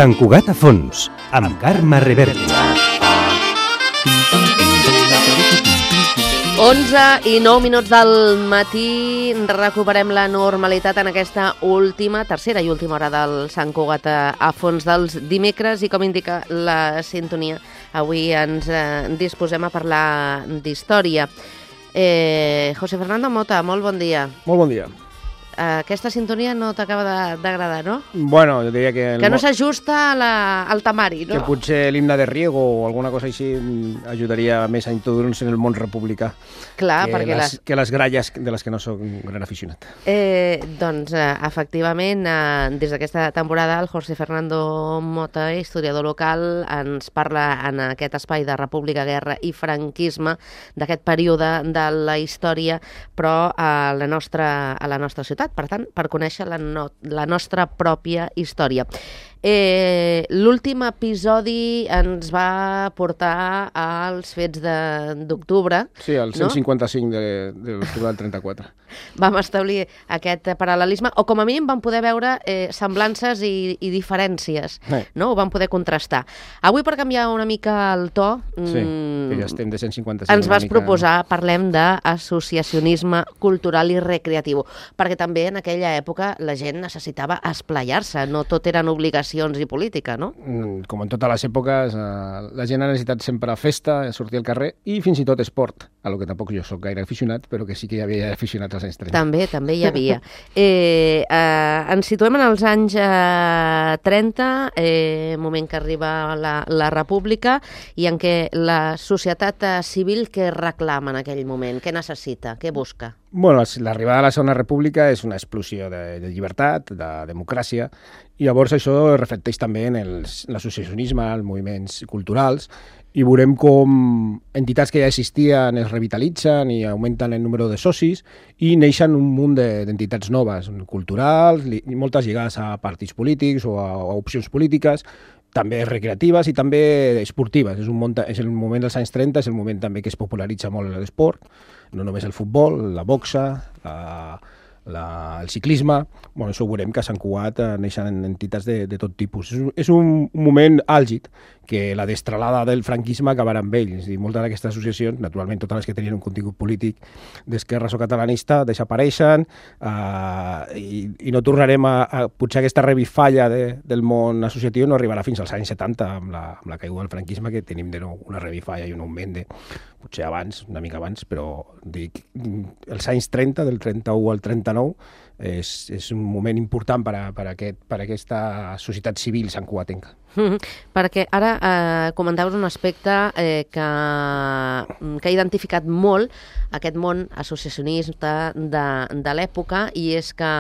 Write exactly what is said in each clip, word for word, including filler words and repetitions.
Sant Cugat a fons, amb Carme Reverti. onze i nou minuts del matí, recuperem la normalitat en aquesta última, tercera i última hora del Sant Cugat a fons dels dimecres, i com indica la sintonia, avui ens eh, disposem a parlar d'història. Eh, José Fernando Mota, molt bon dia. Molt bon dia. Aquesta sintonia no t'acaba d'agradar, no? Bueno, jo diria que... Que no s'ajusta al temari, no? Que potser l'himne de Riego o alguna cosa així ajudaria més a introduir-nos en el món republicà. Clar, que perquè... Les, les... que les gralles de les que no soc un gran aficionat. Eh, doncs, eh, efectivament, eh, des d'aquesta temporada, el José Fernando Mota, historiador local, ens parla en aquest espai de República, Guerra i Franquisme, d'aquest període de la història, però a la nostra, a la nostra ciutat. Per tant, per conèixer la, no, la nostra pròpia història. Eh, L'últim episodi ens va portar als fets d'octubre. Sí, el cent cinquanta-cinc no? de, de l'octubre del trenta-quatre. Vam establir aquest paral·lelisme, o com a mínim vam poder veure eh, semblances i, i diferències, eh. no? Ho vam poder contrastar. Avui, per canviar una mica el to, sí, que ja estem de cent cinquanta-cinc, ens vas mica... proposar, parlem d'associacionisme cultural i recreatiu, perquè també en aquella època la gent necessitava esplaiar-se, no tot eren obligacions i política, no? Com en totes les èpoques, eh, la gent ha necessitat sempre festa, sortir al carrer i fins i tot esport, a lo que tampoc jo soc gaire aficionat, però que sí que hi havia aficionats als anys trenta. També, també hi havia. eh, eh, ens situem en els anys eh, trenta, eh, moment que arriba la, la República, i en què la societat eh, civil què reclama en aquell moment? Què necessita? Què busca? Bueno, l'arribada de la Segona República és una explosió de, de llibertat, de democràcia, i llavors això reflecteix també en l'associacionisme, els moviments culturals, i veurem com entitats que ja existien es revitalitzen i augmenten el número de socis i neixen un munt d'entitats noves, culturals, i moltes lligades a partits polítics o a, a opcions polítiques, també recreatives i també esportives. És, un món, és el moment dels anys trenta, és el moment també que es popularitza molt l'esport, no només el futbol, la boxa, la, la, el ciclisme. Bueno, això ho veurem que a Sant Cugat neixen entitats de, de tot tipus. És, és un, un moment àlgid que la destralada del franquisme acabarà amb ells. I moltes d'aquestes associacions, naturalment totes les que tenien un contingut polític d'esquerres o catalanista, desapareixen eh, i, i no tornarem a, a... Potser aquesta revifalla de, del món associatiu no arribarà fins als anys setanta, amb la, amb la caiguda del franquisme, que tenim de nou una revifalla i un augment de... potser abans, una mica abans, però dic, els anys trenta, del trenta-u al trenta-nou, és, és un moment important per a, per a, aquest, per a aquesta societat civil santcugatenca. Mm-hmm. Perquè ara eh, comentaves un aspecte eh, que, que ha identificat molt aquest món associacionista de, de l'època, i és que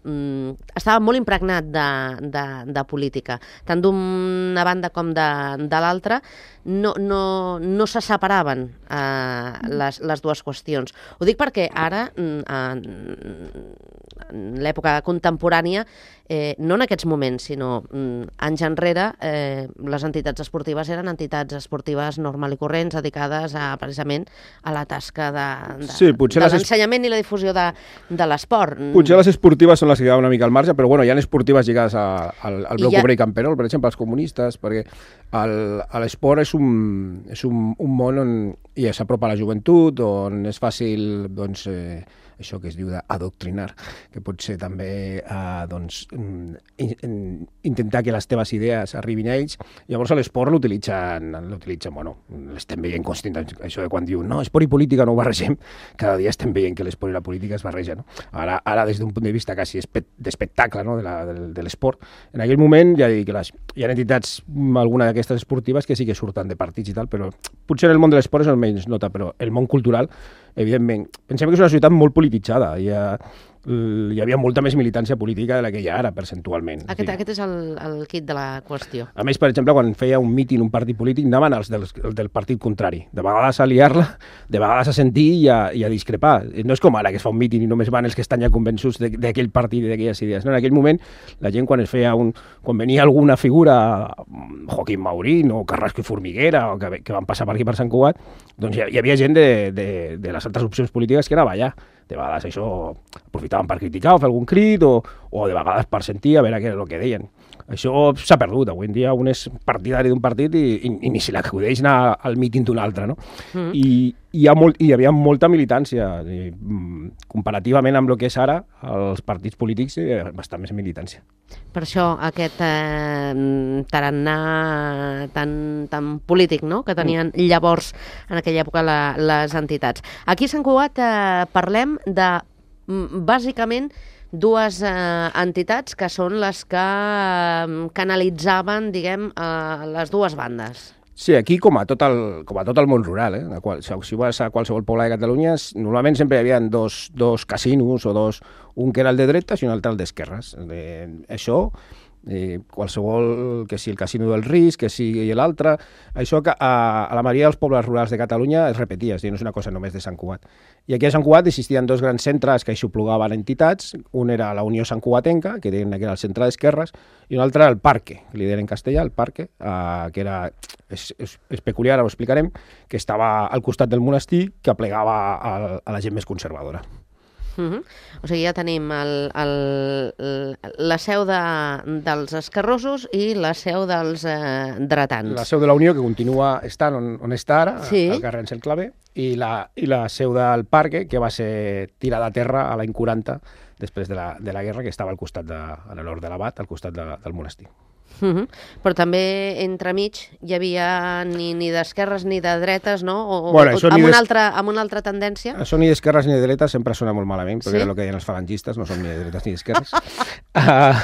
mm, estava molt impregnat de, de, de política. Tant d'una banda com de, de l'altra no, no, no se separaven eh, les, les dues qüestions. Ho dic perquè ara, en, en l'època contemporània, eh, no en aquests moments, sinó mm, anys enrere, eh, les entitats esportives eren entitats esportives normal i corrents, dedicades a, precisament a la tasca de, de, sí, de l'ensenyament i la difusió de, de l'esport. Potser les esportives són les que quedaven una mica al marge, però bueno, hi ha esportives lligades a, al, al bloc obrer i camperol, per exemple, els comunistes, perquè l'esport és, un, és un, un món on ja s'apropa a la joventut, on és fàcil, doncs, eh, això que es diu d'adoctrinar, que pot ser també eh, doncs, in, in, intentar que les teves idees arribin a ells. Llavors l'esport l'utilitzen, l'utilitzen, bueno, l'estem veient constant, això de quan diuen no, esport i política no ho barregem, cada dia estem veient que l'esport i la política es barregen, no? Ara, ara des d'un punt de vista quasi d'espectacle, no? de, la, de, de l'esport. En aquell moment ja dic que les, hi ha entitats, alguna d'aquestes esportives, que sí que surten de partits i tal, però potser en el món de l'esport és el menys nota, però el món cultural, evidentment, pensem que és una societat molt polititzada. Hi ha, hi havia molta més militància política de la que hi ha ara, percentualment. Aquest, aquest és el, el kit de la qüestió. A més, per exemple, quan feia un míting un partit polític, anaven els del, del partit contrari. De vegades a liar-la, de vegades a sentir i a, i a discrepar. No és com ara, que es fa un míting i només van els que estan ja convençuts d'aquell partit i d'aquelles idees. No, en aquell moment, la gent, quan es feia un... quan venia alguna figura, Joaquim Maurín o Carrasco i Formiguera, o que, que van passar per aquí per Sant Cugat, doncs hi, hi havia gent de, de, de les altres opcions polítiques que anava allà. De vegades això aprofitaven per criticar o fer algun crit, o, o de vegades per sentir a veure què és el que deien. Això s'ha perdut. Avui en dia un és partidari d'un partit i, i, i ni se l'acudeix anar al míting d'un altre, no? Mm. I, i hi, ha molt, hi havia molta militància. I, comparativament amb el que és ara, els partits polítics, hi ha bastant més militància. Per això aquest eh, tarannà tan, tan polític, no?, que tenien mm. llavors, en aquella època, la, les entitats. Aquí a Sant Cugat eh, parlem de, bàsicament, dues eh, entitats que són les que eh, canalitzaven, diguem, eh, les dues bandes. Sí, aquí com a tot el, com a tot el món rural, eh? Qual, si vas a qualsevol poble de Catalunya, normalment sempre hi havia dos, dos casinos o dos, un que era el de dretes i un altre el d'esquerres. Eh, això, eh, qualsevol, que sigui el casino del risc, que sigui l'altre, això que a, a la majoria dels pobles rurals de Catalunya es repetia, no és una cosa només de Sant Cugat. I aquí a Sant Cugat existien dos grans centres que aixoplugaven entitats. Un era la Unió Sant Cugatenca, que deien que era el centre d'esquerres, i un altre era el Parque, que li deien en castellà, el Parque, eh, que era, és, és, és peculiar, ho explicarem, que estava al costat del monestir, que aplegava a, a la gent més conservadora. Uh -huh. O sigui, ja tenim el, el, la seu de, dels esquerrosos i la seu dels eh, dretans. La seu de la Unió, que continua estant on, on està ara, sí. al carrer Ansel Clavé, i la, i la seu del Parque, que va ser tirada a terra a l'any quaranta, després de la, de la guerra, que estava al costat de, a l'hort de l'Abat, al costat de, del monestir. Uh -huh. Però també entremig hi havia ni, ni d'esquerres ni de dretes, no? O, bueno, o amb, des... una altra, amb una altra tendència? Això ni d'esquerres ni de dretes sempre sona molt malament, perquè sí? Era el que deien els falangistes, no són ni de dretes ni d'esquerres. uh,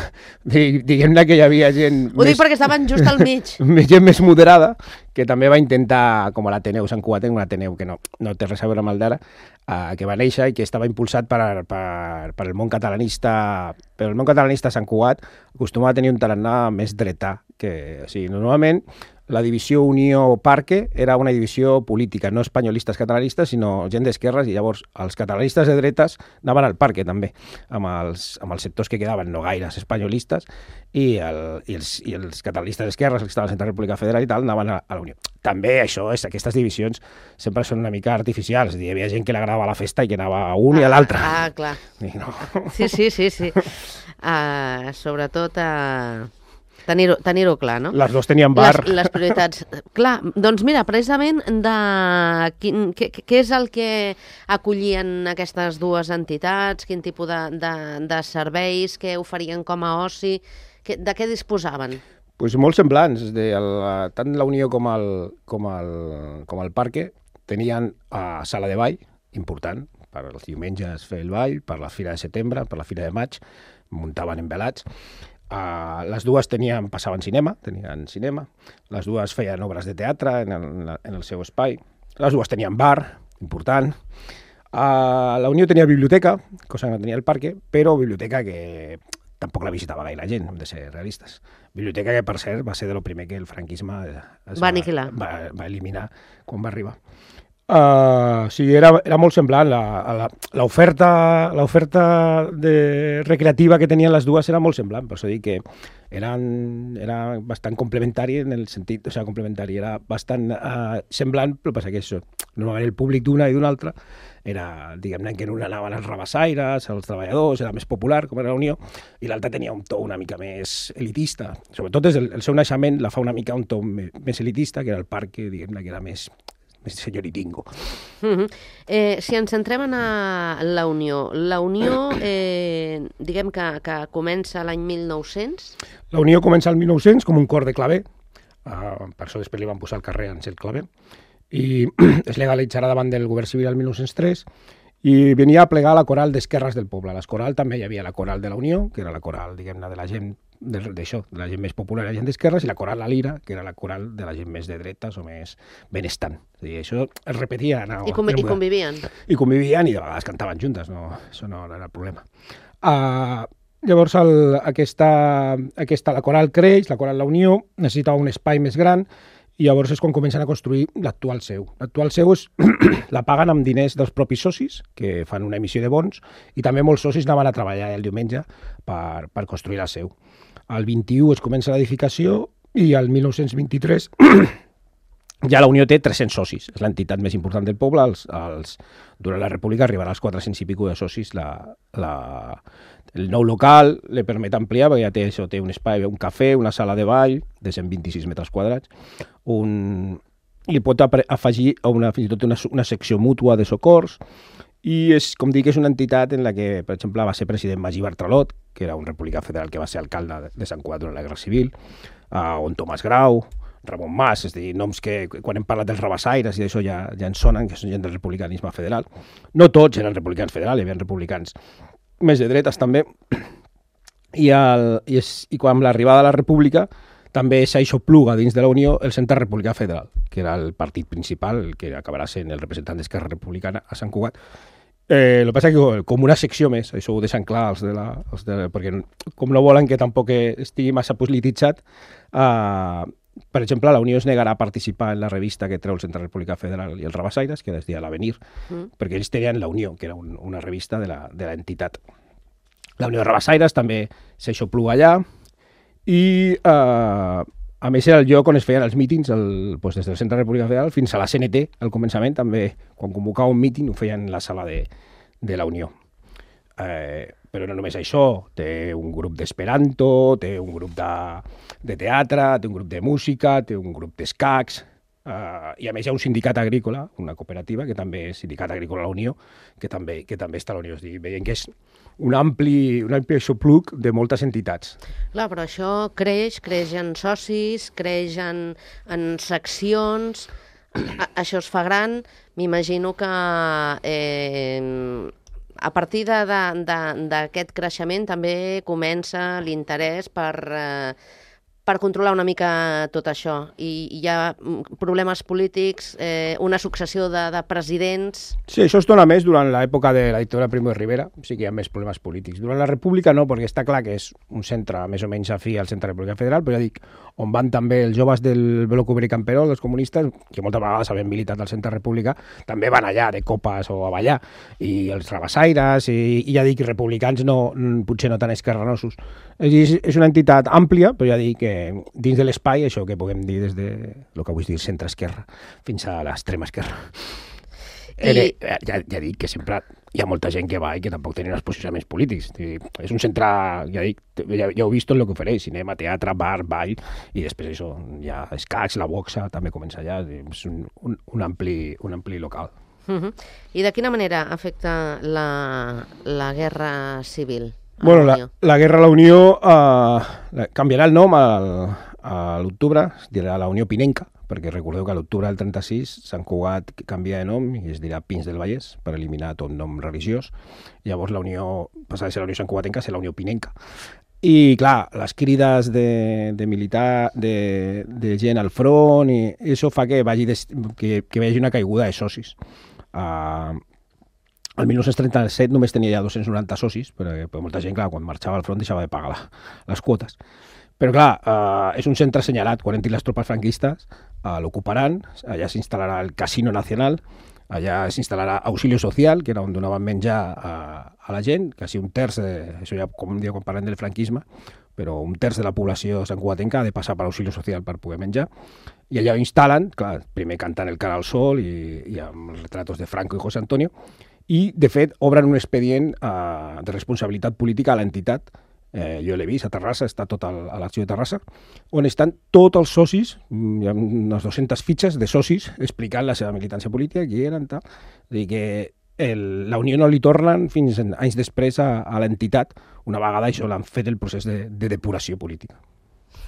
Diguem-ne que hi havia gent... Ho més... dic perquè estaven just al mig. Gent més moderada, que també va intentar, com a l'Ateneu Sant Cugatenc, un Ateneu que no, no té res a veure amb el d'ara, uh, que va néixer i que estava impulsat per, per, per el món catalanista. Però el món catalanista a Sant Cugat acostuma a tenir un tarannà més dretà. Que, o sigui, normalment la divisió Unió-Parque era una divisió política, no espanyolistes catalanistes, sinó gent d'esquerres, i llavors els catalanistes de dretes anaven al Parque també, amb els, amb els sectors que quedaven no gaires espanyolistes, i, el, i, els, i els catalanistes d'esquerres, els que estaven a la República Federal i tal, anaven a, a la Unió. També això, és, aquestes divisions sempre són una mica artificials. Hi havia gent que li agradava la festa i que anava a un ah, i a l'altre. Ah, clar. I no. Sí, sí, sí, sí. Uh, sobretot a... Uh... Tenir-ho tenir clar, no? Les dues tenien bar. Les, les prioritats. Clar, doncs mira, precisament de quin, què, què és el que acollien aquestes dues entitats, quin tipus de, de, de serveis, què oferien com a oci, que, de què disposaven? Pues molt semblants. De el, tant la Unió com el, com el, com el Parque tenien uh, sala de ball, important, per els diumenges fer el ball, per la Fira de Setembre, per la Fira de Maig, muntaven envelats. Uh, les dues tenien, passaven cinema, tenien cinema, les dues feien obres de teatre en el, en el seu espai, les dues tenien bar, important. Uh, la Unió tenia biblioteca, cosa que no tenia el Parque, però biblioteca que tampoc la visitava gaire gent, hem de ser realistes. Biblioteca que, per cert, va ser de lo primer que el franquisme es va, aniquilar. Va, va eliminar quan va arribar. Uh, sí, era, era molt semblant. L'oferta l'oferta de recreativa que tenien les dues era molt semblant, per això dic que eren, era bastant complementari en el sentit, o sigui, complementari, era bastant uh, semblant, però passa que això, normalment el públic d'una i d'una altra era, diguem-ne, que en una anaven els rabassaires, els treballadors, era més popular, com era la Unió, i l'altra tenia un to una mica més elitista. Sobretot des del el seu naixement la fa una mica un to més elitista, que era el Parque, diguem-ne, que era més més senyoritingo. Uh -huh. eh, si ens centrem en la Unió, la Unió, eh, diguem que, que comença l'any mil nou-cents? La Unió comença el mil nou-cents com un cor de claver, uh, per això després li van posar el carrer Ansel Clavé, i es legalitzarà davant del govern civil el mil nou-cents tres, i venia a plegar la coral d'esquerres del poble. A l'escoral també hi havia la coral de la Unió, que era la coral, diguem-ne, de la gent d'això, de la gent més popular, la gent d'esquerres, i la coral La Lira, que era la coral de la gent més de dretes o més benestant. I això es repetia. No, I, convi I convivien. I convivien i de vegades cantaven juntes, no, això no era el problema. Uh, llavors el, aquesta, aquesta, la coral creix, la coral La Unió, necessitava un espai més gran, i llavors és quan comencen a construir l'actual seu. L'actual seu és, la paguen amb diners dels propis socis, que fan una emissió de bons, i també molts socis anaven a treballar el diumenge per, per construir la seu. El vint-i-u es comença l'edificació i el mil nou-cents vint-i-tres ja la Unió té tres-cents socis. És l'entitat més important del poble. Els, els, durant la República arribarà als quatre-cents i pico de socis la, la, El nou local li permet ampliar, perquè ja té, això, té un espai, un cafè, una sala de ball de cent vint-i-sis metres quadrats, un... i pot afegir una, fins i tot una, una secció mútua de socors, i és, com dic, és una entitat en la que, per exemple, va ser president Magí Bartralot, que era un republicà federal que va ser alcalde de Sant Cugat durant la Guerra Civil, uh, on Tomàs Grau, Ramon Mas, és a dir, noms que quan hem parlat dels rabassaires i d'això ja, ja ens sonen, que són gent del republicanisme federal. No tots eren republicans federals, hi havia republicans més de dretes també, i, el, i, és, i quan amb l'arribada de la república també s'aixopluga dins de la Unió el Centre Republicà Federal, que era el partit principal, el que acabarà sent el representant d'Esquerra Republicana a Sant Cugat. Eh, el que passa és que com una secció més, això ho deixen clar els de la... Els de, perquè com no volen que tampoc estigui massa polititzat, eh, per exemple, la Unió es negarà a participar en la revista que treu el Centre Republicà Federal i els Rabassaires, que es deia l'Avenir, mm. perquè ells tenien la Unió, que era un, una revista de l'entitat. La Unió de Rabassaires també s'aixopluga allà, i eh, a més era el lloc on es feien els mítings el, doncs des del Centre Republicà Federal fins a la C N T, al començament també, quan convocava un míting ho feien en la sala de, de la Unió. Eh, però no només això, té un grup d'esperanto, té un grup de, de teatre, té un grup de música, té un grup d'escacs, eh, i a més hi ha un sindicat agrícola, una cooperativa, que també és Sindicat Agrícola La Unió, que també, que també està a la Unió. És dir, veiem que és un ampli, un ampli aixopluc de moltes entitats. Clar, però això creix, creix en socis, creix en, en seccions, a, això es fa gran, m'imagino que... Eh, a partir d'aquest creixement també comença l'interès per, eh, per controlar una mica tot això. I hi ha problemes polítics, eh, una successió de, de presidents... Sí, això es dona més durant l'època de la dictadura de Primo de Rivera, sí que hi ha més problemes polítics. Durant la República no, perquè està clar que és un centre més o menys afí al Centre Republicà Federal, però ja dic, on van també els joves del Bloc Obrer i Camperol, els comunistes, que moltes vegades havien militat al Centre Republicà, també van allà de copes o a ballar, i els rabassaires, i, i ja dic, republicans no, potser no tan esquerranosos. És, és una entitat àmplia, però ja dic que dins de l'espai, això que puguem dir des de el que vull dir centre-esquerra fins a l'extrema esquerra. I... Ja, ja dic que sempre hi ha molta gent que va i que tampoc tenen els posicionaments polítics. És un centre, ja dic, ja, ja ho he vist tot el que ofereix, cinema, teatre, bar, ball, i després això, hi ha escacs, la boxa, també comença allà, és un, un, un, ampli, un ampli local. Uh-huh. I de quina manera afecta la, la guerra civil? Bueno, la, la guerra a la Unió eh, canviarà el nom al, a l'octubre, es dirà la Unió Pinenca, perquè recordeu que a l'octubre del trenta-sis Sant Cugat canvia de nom i es dirà Pins del Vallès per eliminar tot nom religiós. Llavors la Unió, passarà de ser la Unió Sant Cugatenca a ser la Unió Pinenca. I clar, les crides de, de militar, de, de gent al front, i això fa que vagi des, que, que vegi una caiguda de socis. Uh, el dinou trenta-set només tenia ja dos-cents noranta socis, perquè, perquè molta gent, clar, quan marxava al front deixava de pagar la, les quotes. Però clar, uh, és un centre assenyalat, quan entrin les tropes franquistes, uh, l'ocuparan, allà s'instal·larà el Casino Nacional, allà s'instal·larà Auxilio Social, que era on donaven menjar a, a la gent, quasi un terç, de, això ja com diu quan parlem del franquisme, però un terç de la població santcugatenca ha de passar per Auxilio Social per poder menjar, i allà ho instal·len, clar, primer cantant el Cara al Sol i, i amb els retratos de Franco i José Antonio, i de fet obren un expedient uh, de responsabilitat política a l'entitat. Eh, jo l'he vist a Terrassa, està tot al, a l'arxiu de Terrassa, on estan tots els socis, hi ha unes dues-centes fitxes de socis explicant la seva militància política, qui eren, tal. És a dir, que el, la Unió no li tornen fins anys després a, a l'entitat, una vegada això l'han fet el procés de, de depuració política.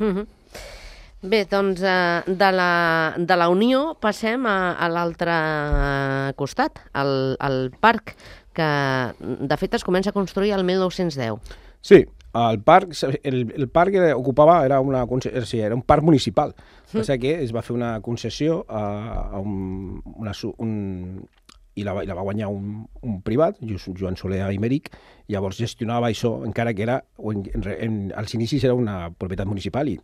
Mm-hmm. Bé, doncs eh, de, la, de la Unió passem a, a l'altre costat, al, al parc, que de fet es comença a construir el mil nou-cents deu. Sí, el parc, el, el parc ocupava, era, una, sí, era un parc municipal. Mm. Passa que es va fer una concessió a, a un, una, un, i la, i la va guanyar un, un privat, Joan Soler Aymeric, llavors gestionava això, encara que era, en, en, als inicis era una propietat municipal i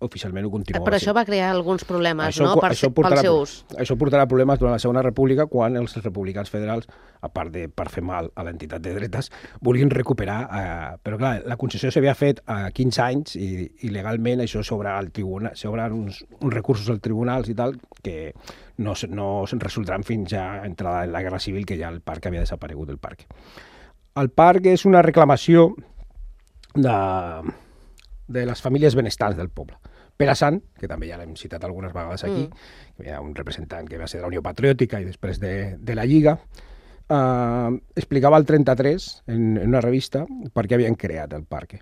oficialment ho continuava. Però això va crear alguns problemes, això, no?, per, això portarà, pel seu ús. Això portarà problemes durant la Segona República quan els republicans federals, a part de per fer mal a l'entitat de dretes, vulguin recuperar. Eh, però clar, la concessió s'havia fet a quinze anys i, i legalment això s'obre al tribunal, s'obren uns, uns recursos als tribunals i tal que no, no se'n resoldran fins ja entrada en la Guerra Civil, que ja el parc havia desaparegut del parc. El parc és una reclamació de, de les famílies benestants del poble. Pere Sant, que també ja l'hem citat algunes vegades aquí, mm. que hi ha un representant que va ser de la Unió Patriòtica i després de, de la Lliga, Uh, explicava el trenta-tres en, en una revista per què havien creat el parc.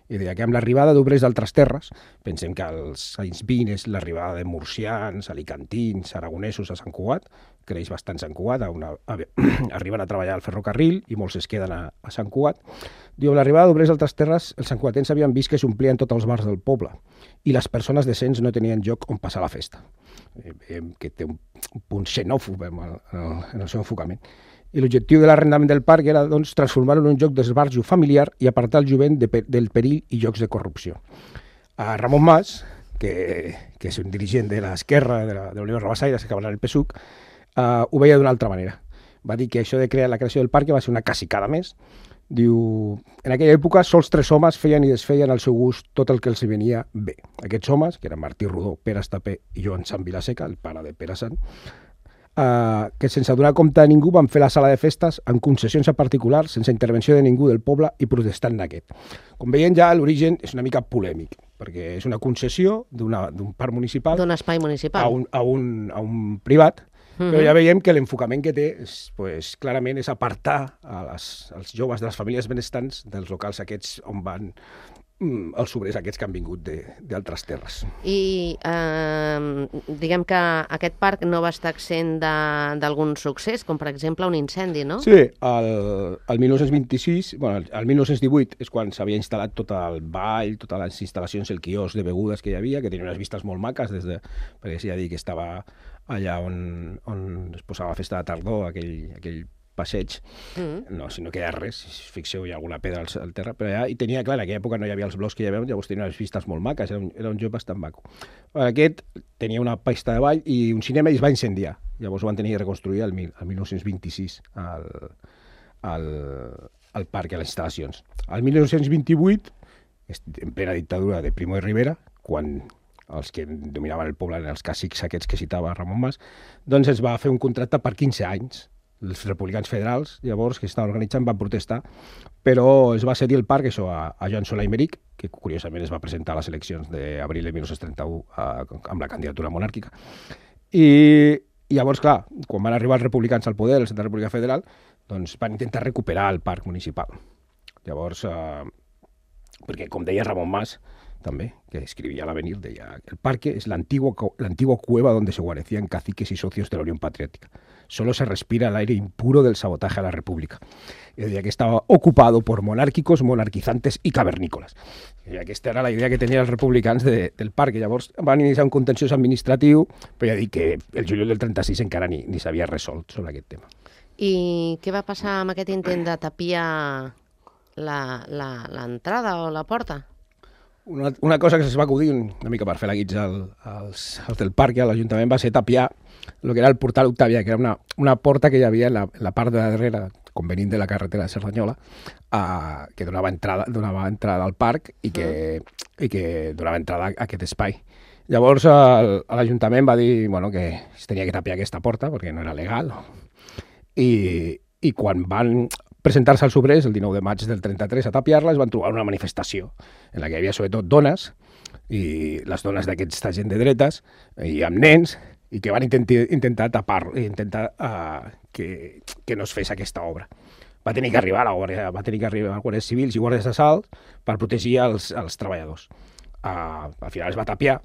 I deia que amb l'arribada d'obrers d'altres terres, pensem que als anys vint és l'arribada de murcians, alicantins, aragonesos a Sant Cugat, creix bastant Sant Cugat, a una, a, arriben a treballar al ferrocarril i molts es queden a, a Sant Cugat. Diu, amb l'arribada d'obrers d'altres terres, els santcugatens havien vist que s'omplien tots els bars del poble i les persones decents no tenien lloc on passar la festa. Eh, que té un, un punt xenòfob en el, en el, en el seu enfocament. I l'objectiu de l'arrendament del parc era doncs, transformar-lo en un lloc d'esbarjo familiar i apartar el jovent de, del perill i llocs de corrupció. A Ramon Mas, que, que és un dirigent de l'esquerra de la, de la Unió Rabassaire, que acabarà el P S U C, uh, ho veia d'una altra manera. Va dir que això de crear la creació del parc va ser una cacicada més. Diu, en aquella època sols tres homes feien i desfeien al seu gust tot el que els venia bé. Aquests homes, que eren Martí Rodó, Pere Estapé i Joan Sant Vilaseca, el pare de Pere Sant, Uh, que sense donar compte a ningú van fer la sala de festes amb concessions a particulars, sense intervenció de ningú del poble i protestant d'aquest. Com veiem ja, l'origen és una mica polèmic, perquè és una concessió d'un parc municipal d'un espai municipal a un, a un, a un privat, mm-hmm. però ja veiem que l'enfocament que té és, pues, clarament és apartar a les, als joves de les famílies benestants dels locals aquests on van els obrers aquests que han vingut d'altres terres. I eh, diguem que aquest parc no va estar exempt d'algun succés, com per exemple un incendi, no? Sí, el, el dinou vint-i-sis, bueno, el dinou divuit és quan s'havia instal·lat tot el ball, totes les instal·lacions, el quiosc de begudes que hi havia, que tenia unes vistes molt maques, des de, perquè s'hi ha dit que estava allà on, on es posava la festa de tardor, aquell, aquell passeig, mm. no, si no queda res, si fixeu hi ha alguna pedra al, al terra, però allà, i tenia, clar, en aquella època no hi havia els blocs que hi havia, llavors tenia unes vistes molt maques, era un, era un joc bastant maco. Aquest tenia una pista de ball i un cinema i es va incendiar, llavors ho van tenir que reconstruir el, el dinou vint-i-sis al, al, al parc, a les instal·lacions. El dinou vint-i-vuit, en plena dictadura de Primo de Rivera, quan els que dominaven el poble eren els cacics aquests que citava Ramon Mas, doncs es va fer un contracte per quinze anys. Els republicans federals, llavors, que estaven organitzant, van protestar, però es va cedir el parc això, a, a Joan Solà i Meric, que curiosament es va presentar a les eleccions d'abril de dinou trenta-u a, amb la candidatura monàrquica. I, I llavors, clar, quan van arribar els republicans al poder, el Centre República Federal, doncs van intentar recuperar el parc municipal. Llavors, eh, perquè, com deia Ramon Mas, també, que escribía al Avenir, deia, el parque es la antigua, la antigua cueva donde se guarecían caciques y socios de la Unión Patriótica. Solo se respira el aire impuro del sabotaje a la República. Y decía que estaba ocupado por monárquicos, monarquizantes i cavernícolas. I aquesta era la idea que tenien els republicans de, del parc. Llavors van iniciar un contenciós administratiu, però ja dic que el juliol del trenta-sis encara ni, ni s'havia resolt sobre aquest tema. I què va passar amb aquest intent de tapiar l'entrada o la porta? Una, una cosa que es va acudir una mica per fer la guitza al, als, als del parc i a l'Ajuntament va ser tapiar el que era el portal Octàvia, que era una, una porta que hi havia en la, en la part de darrere, com venint de la carretera de Cerdanyola, uh, que donava entrada, donava entrada al parc i que, mm. i que donava entrada a aquest espai. Llavors l'Ajuntament va dir bueno, que es tenia que tapiar aquesta porta perquè no era legal. I, i quan van presentar-se als obrers el dinou de maig del trenta-tres a tapiar-la, es van trobar una manifestació en la que hi havia sobretot dones, i les dones d'aquesta gent de dretes, i amb nens, i que van intentar, intentar tapar, intentar uh, que, que no es fes aquesta obra. Va tenir que arribar la guàrdia, va tenir que arribar guàrdies civils i guàrdies d'assalt per protegir els, els treballadors. Uh, al final es va tapiar,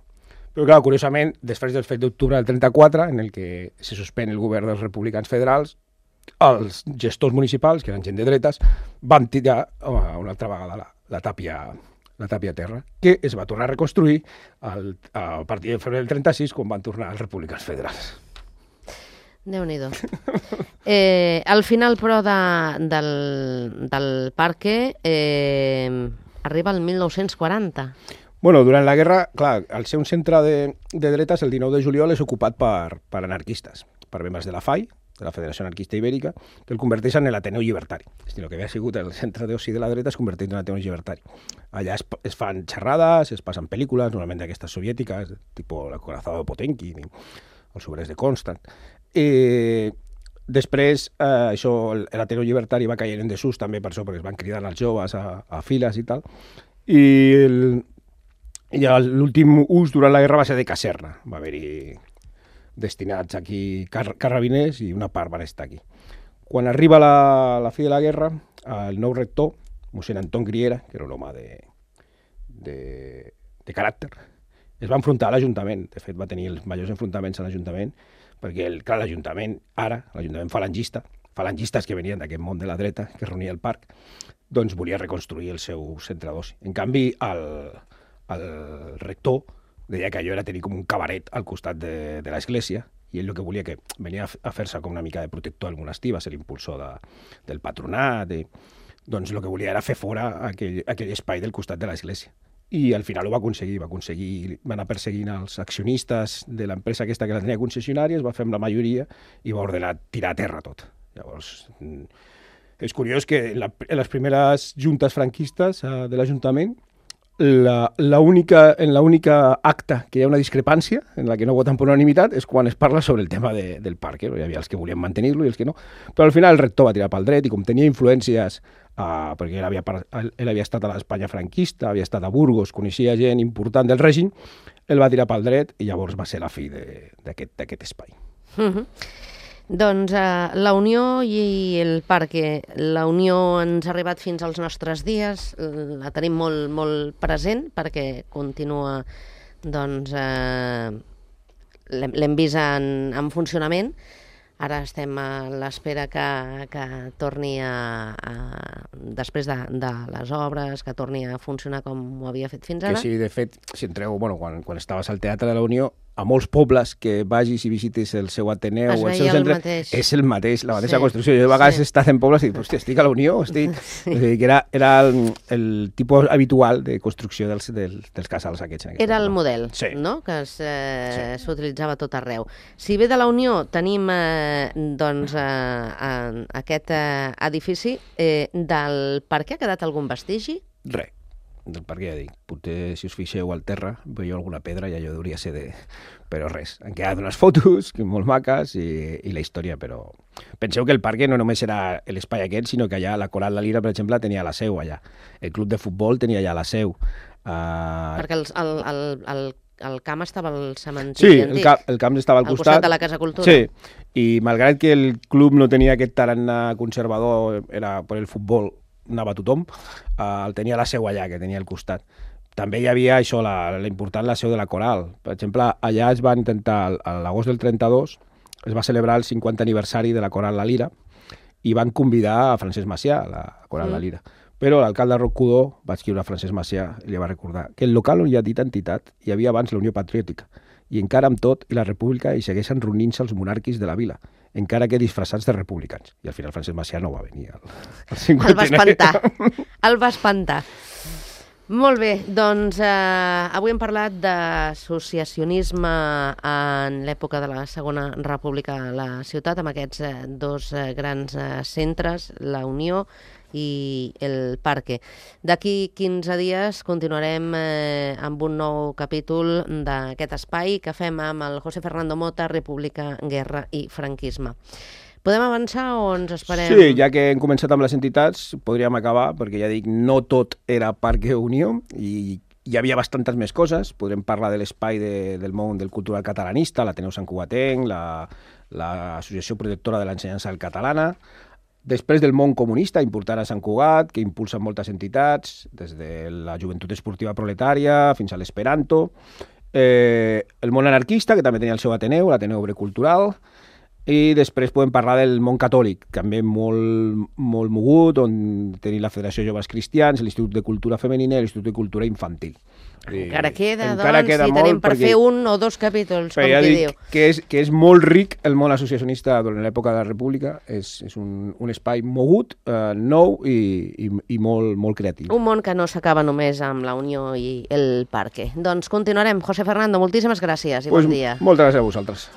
però clar, curiosament, després del fet d'octubre del trenta-quatre, en el que se suspèn el govern dels republicans federals, els gestors municipals, que eren gent de dretes, van tirar oh, una altra vegada la, la, tàpia, la tàpia terra, que es va tornar a reconstruir al, a partir de febrer del trenta-sis, quan van tornar els republicans federals. Déu-n'hi-do. Eh, al final, però, de, del, del parque eh, arriba el dinou quaranta. Bueno, durant la guerra, clar, al ser un centre de, de dretes, el dinou de juliol és ocupat per, per anarquistes, per membres de la F A I, de la Federació Anarquista Ibèrica, que el converteixen en l'Ateneu Llibertari. És a dir, el que havia sigut el centre d'oci de la dreta es converteix en l'Ateneu Llibertari. Allà es, es fan xerrades, es passen pel·lícules, normalment d'aquestes soviètiques, tipus La corazada de Potemkin, i Els obrers de Constant. Eh, després, eh, això, l'Ateneu Llibertari va caient en desús també per això, perquè es van cridant els joves a, a files i tal. I, el, i l'últim ús durant la guerra va ser de caserna. Va haver-hi destinats aquí car carrabiners i una part van estar aquí. Quan arriba la, la fi de la guerra, el nou rector, mossèn Anton Griera, que era un home de, de, de caràcter, es va enfrontar a l'Ajuntament. De fet, va tenir els majors enfrontaments a l'Ajuntament, perquè, el, clar, l'Ajuntament, ara, l'Ajuntament falangista, falangistes que venien d'aquest món de la dreta, que es reunia al parc, doncs volia reconstruir el seu centre d'oci. En canvi, el, el rector deia que allò era tenir com un cabaret al costat de, de l'església, i ell el que volia que venia a fer-se com una mica de protector al monestir, va ser l'impulsor de, del patronat, i, doncs el que volia era fer fora aquell, aquell espai del costat de l'església. I al final ho va aconseguir, va aconseguir, va anar perseguint els accionistes de l'empresa aquesta que la tenia concessionària, es va fer amb la majoria i va ordenar tirar a terra tot. Llavors, és curiós que en, la, en les primeres juntes franquistes uh, de l'Ajuntament, la, la única, en l'única acta que hi ha una discrepància, en la que no voten per unanimitat, és quan es parla sobre el tema de, del parc. Eh? Hi havia els que volien mantenir-lo i els que no. Però al final el rector va tirar pel dret i com tenia influències, uh, perquè ell havia, ell havia estat a l'Espanya franquista, havia estat a Burgos, coneixia gent important del règim, ell va tirar pel dret i llavors va ser la fi d'aquest espai. Mm-hmm. Doncs uh, la Unió i el Parque. La Unió ens ha arribat fins als nostres dies, la tenim molt, molt present perquè continua, doncs, uh, l'hem vist en, en funcionament. Ara estem a l'espera que, que torni a, a després de, de les obres, que torni a funcionar com ho havia fet fins ara. Que sí, de fet, si entreu, bueno, quan, quan estaves al Teatre de la Unió, a molts pobles que vagis i visitis el seu Ateneu o el seu centre, el és el mateix, la mateixa sí, construcció. Jo de vegades sí. he estat en pobles i dic, hòstia, estic a la Unió, estic... Sí. Que era, era el, el tipus habitual de construcció dels, dels, dels casals aquests. Era el model, sí. no?, que s'utilitzava sí. tot arreu. Si ve de la Unió tenim eh, doncs, eh, aquest eh, edifici, eh, del Parque ha quedat algun vestigi? Res. Del parc, ja dic, potser si us fixeu al terra veieu alguna pedra i allò hauria ser de... Però res, han quedat unes fotos molt maques i, i la història, però... Penseu que el parc no només era l'espai aquest, sinó que allà la Coral La Lira, per exemple, tenia la seu allà. El club de futbol tenia allà la seu. Uh... Perquè el, el, el, el, el camp estava al cementiri sí, antic. Sí, el, camp, el camp estava al, al costat. costat de la Casa Cultura. Sí, i malgrat que el club no tenia aquest tarannà conservador, era per el futbol, anava tothom, uh, el tenia la seu allà, que tenia al costat. També hi havia això, la, la important la seu de la Coral. Per exemple, allà es va intentar, a l'agost del trenta-dos, es va celebrar el cinquanta aniversari de la Coral La Lira i van convidar a Francesc Macià, la Coral mm. La Lira. Però l'alcalde Roc-Cudó va escriure a Francesc Macià i li va recordar que el local on hi ha dita entitat hi havia abans la Unió Patriòtica i encara amb tot i la República hi segueixen reunint-se els monàrquics de la vila, encara que disfressats de republicans. I al final Francesc Macià no va venir al, al cinquanta. El va espantar. El va espantar. Molt bé, doncs eh, avui hem parlat d'associacionisme en l'època de la Segona República a la ciutat, amb aquests eh, dos eh, grans eh, centres, la Unió i el Parque. D'aquí quinze dies continuarem eh, amb un nou capítol d'aquest espai que fem amb el José Fernando Mota, República, Guerra i Franquisme. Podem avançar o ens esperem? Sí, ja que hem començat amb les entitats, podríem acabar, perquè ja dic, no tot era Parque Unió i hi havia bastantes més coses. Podrem parlar de l'espai de, del món del cultural catalanista, l'Ateneu Sant Cugatenc, l'Associació la, Protectora de l'Ensenyança Catalana. Després del món comunista, important a Sant Cugat, que impulsen moltes entitats, des de la Joventut Esportiva Proletària fins a l'Esperanto. Eh, el món anarquista, que també tenia el seu Ateneu, l'Ateneu Obre Cultural. I després podem parlar del món catòlic, també molt, molt mogut, on tenim la Federació Joves Cristians, l'Institut de Cultura Femenina i l'Institut de Cultura Infantil. Encara queda, encara doncs, queda i tenim per fer un o dos capítols, com ja qui dic diu. Que és, que és molt ric el món associacionista durant l'època de la República, és, és un, un espai mogut, eh, nou i, i, i molt, molt creatiu. Un món que no s'acaba només amb la Unió i el Parque. Doncs continuarem. José Fernando, moltíssimes gràcies i pues bon dia. Moltes gràcies a vosaltres.